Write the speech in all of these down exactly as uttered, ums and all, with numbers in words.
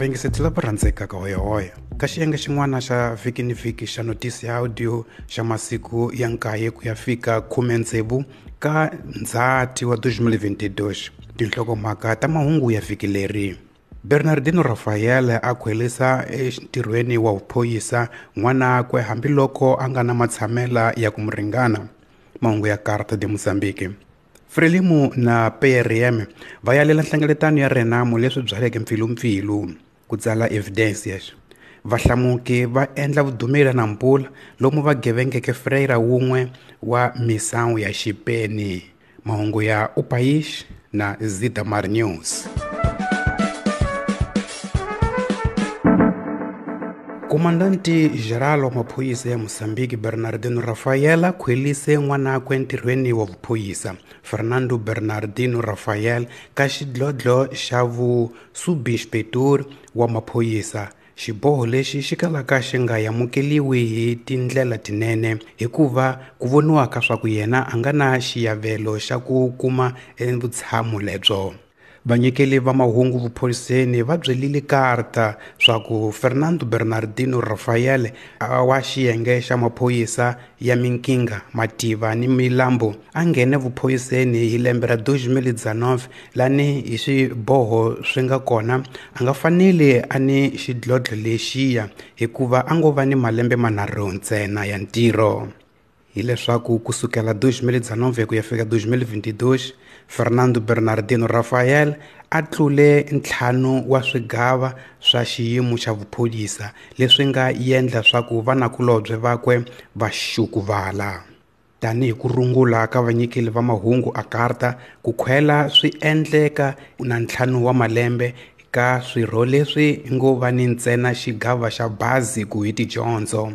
Vayingiseti lava rhandzekaka hoyohoyo ka xiyenge xin'wana xa vhiki ni vhiki xa notisi ya audio xa masiku ya nkaye ku ya fika khume tsevu ka Ndzhati wa twenty twenty-two. Tinhlokomhaka ta mahungu ya vhiki leri: Bernardino Rafael a khwelisa entirhweni wa vuphorisa n'wanakwe hambiloko a nga na matshamela ya ku mu ringana. Mahungu ya Carta de Mozambique. Frelimo na P R M va yalela nhlengeletano ya Renamo leswi byaleke mpfilumpfilu ku tsala Evidências. Vahlamuki va endla vudumela na mpula lomu va gevengeke Freira wun'we wa misawu ya Xipeni. Mahungu ya O País na Zitamar News. Komandanti Geral wa maphorisa ya Mozambique Bernardino Rafael khwelise n'wanakwe entirhweni wa vuphorisa Fernando Bernardino Rafael ka xidlodlo xa vu-subinspector wa maphorisa. Xiboho lexi xi kalaka xi nga amukeliwi hi tindlela tinene hikuva ku voniwaka swa ku yena a nga na xiyavelo xa ku kuma vutshamo lebyo. Vanyikeli va mahungu vuphoriseni va byelile Carta swa ku Fernando Bernardino Rafael wa xiyenge xa maphorisa ya Minkinga, Mativa ni Milambo a nghene vuphoriseni hi lembe ra twenty nineteen lani hi swiboho swi nga kona a nga faneli a ni xidlodlo lexiya hikuva a ngo va ni malembe manharhu ntsena ya ntirho. Hileswaku kusukela twenty nineteen ku ya fika twenty twenty-two Fernando Bernardino Rafael a tlule ntlhanu wa swigava swa xiyimo xa vuphorisa leswi nga endla swa ku vanakulobye vakwe va xukuvala. Tanihi ku rungula ka vanyikeli va mahungu a Carta, ku khwela swi endleka na ntlhanu wa malembe ka swirho leswi ngo va ni ntsena xigava xa bazi ku hi tidyondzo.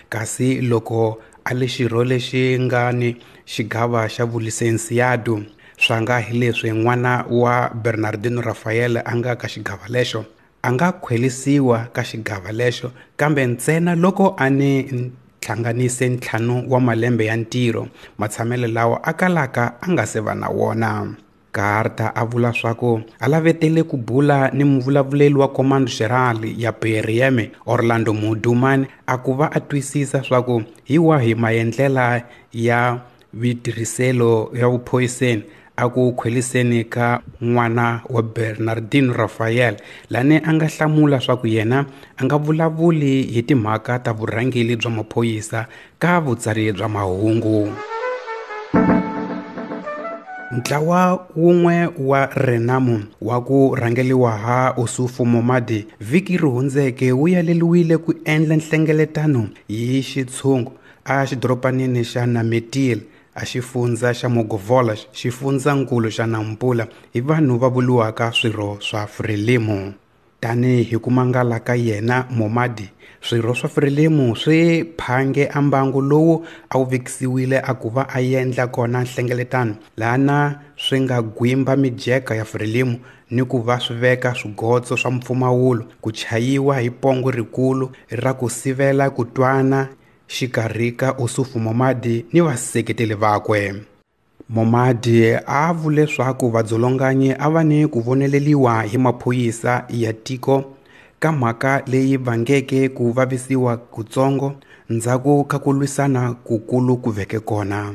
Kasi loko a le xirho lexi nga ni xigava xa vulisensiado swa nga hi leswi n'wana wa Bernardino Rafael a nga ka xigava lexo a nga khwelisiwa ka xigava lexo kambe ntsena loko a ni hlanganise ntlhanu wa malembe ya ntirho matshamelo lawa a kalaka a nga se va na wona. Carta a vula swa ku a lavetele ku bula ni muvulavuleli wa Comando Geral ya P R M Orlando Mudumane a ku va a twisisa swa ku hi wahi maendlela ya vitirhiselo ya vuphoriseni a ku khweliseni ka n'wana wa Bernardino Rafael lani a nga hlamula swa ku yena a nga vulavuli hi timhaka ta vurhangeli bya maphorisa ka vutsari bya mahungu. Ntlawa wun'we wa Renamo wa ku rhangeliwa ha Ossufo Momade vhiki ri hundzeke wu yaleliwile ku endla nhlengeletano hi xitshungu a xidoropanini xa Nametil a xifundza xa Mogovolas xifundzankulu xa Nampula hi vanhu va vuriwaka swirho swa Frelimo. Tanihi ku mangala ka yena Momade, swirho swa Frelimo swi phange a mbangu lowu a wu vekisiwile a ku va a endla kona nhlengeletano lana swi nga gwimba mijeka ya Frelimo ni ku va swi veka swigotso swa mpfumawulo ku chayiwa hi pongo rikulu ra ku sivela ku twana xikarhi ka Ossufo Momade ni vaseketeli vakwe. Momade a vule leswaku vadzolonganyi a va ni ku voneleliwa hi maphorisa ya tiko ka mhaka leyi vangeke ku vavisiwa kutsongo ndzhaku ka ku lwisana kukulu ku veke kona.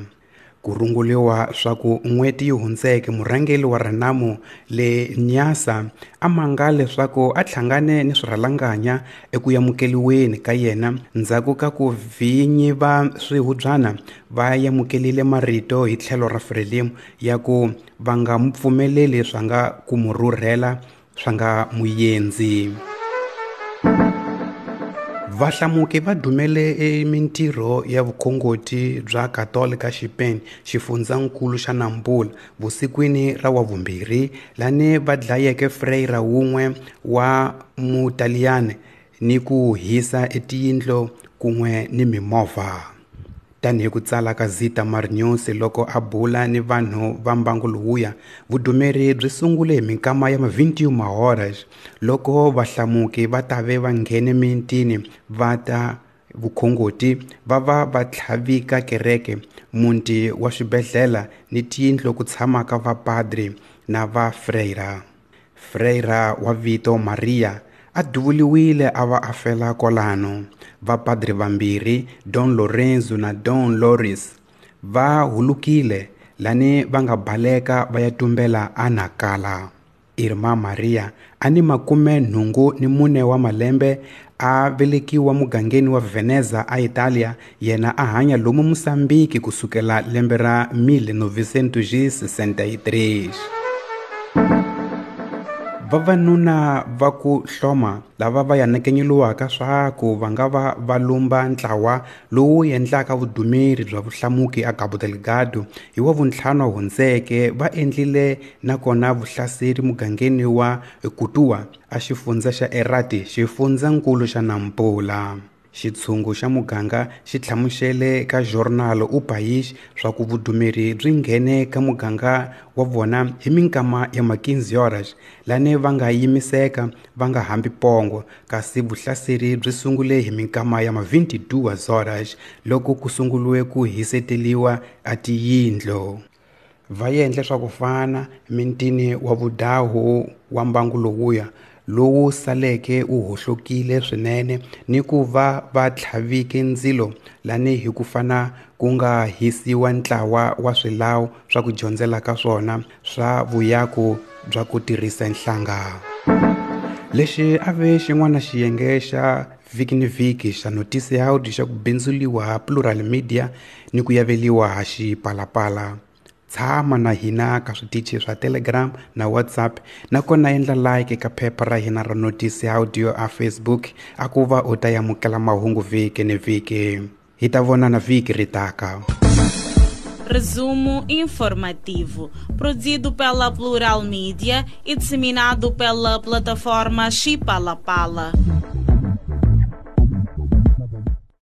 Ku runguliwa swa ku n'hweti yi hundzeke murhangeri wa Renamo le Nyasa a manga leswaku a hlangane ni swirhalanganya eku amukeliweni ka yena ndzhaku ka ku vinyi va swihubyana va amukelile marito hi tlhelo ra Frelimo ya ku va nga mu pfumeleli swa nga ku mu rhurhela swa nga muyendzi. Vahlamuki va dumele emintirho ya vukhongoti bya Katolika Xipeni xifundzankulu xa Nampula vusikwini ra wavumbirhi lani va dlayeke Freira wun'we wa Mutaliyani ni ku hisa etiyindlo kun'we ni mimovha. Tanihi ku tsala ka Zitamar News loko a bula ni vanhu va mbangu lowuya, vudumeri byi sungule hi minkama ya twenty-one horas loko vahlamuki va tave va nghene mitini va ta vukhongoti va va va tlhavika kereke, muti wa swibedhlele ni tiyindlu ku tshamaka vapadri na va freira. Freira wa vito Maria A duvuliwile a va a fela kwalano. Vapadri vambirhi, Don Lorenzo na Don Loris, va hulukile lani va nga baleka va ya tumbela a Nacala. Irma Maria a ni makume nhungu ni mune wa malembe, a velekiwa mugangeni wa Veneza a Italia, yena a hanya lomu Mosambiki kusukela lembe ra mil novecentos sessenta e três. Vavanuna va ku hloma lava va yanakenyeliwaka swa ku va nga va va lumba ntlawa lowu endlaka vudumeri bya vuhlamuki a Cabo Delgado hi wa vuntlhanu hundzeke va endlile nakona vuhlaseri mugangeni wa Kutua a xifundza xa Erati, xifundzankulu xa Nampula. Xitshungu xa muganga xi hlamusele ka Jornal O País swa ku vudumeri byi nghene ka muganga wa vona hi minkama ya ma quinze horas, lani va nga yimiseka va nga hambi pongo, kasi vuhlaseri byi sungule hi minkama ya ma vinte e duas horas loko ku sunguliwe ku hiseteliwa a tiyindlo. Va endle swa ku fana mintini wa vudahu wa mbangu lowuya lowu saleke wu hohlokile swinene ni ku va va tlhavike ndzilo lani hi ku fana ku nga hisiwa ntlawa wa swilawu swa ku dyondzela ka swona swa vuyaku bya ku tirhisa nhlanga. Lexi a ve xin'wana xiyenge xa vhiki ni vhiki xa Notícia Áudio xa ku bindzuliwa ha Plural Media ni ku yaveliwa ha Xipalapala. Tshama na hina ka switichi swa Telegram na WhatsApp, nakona endla like ka phepha ra hina ra Notícia Áudio a Facebook a ku va u ta amukela mahungu vhiki ni vhiki. Hi ta vonana vhiki ri taka. Resumo informativo, produzido pela Plural Mídia e disseminado pela plataforma Xipalapala.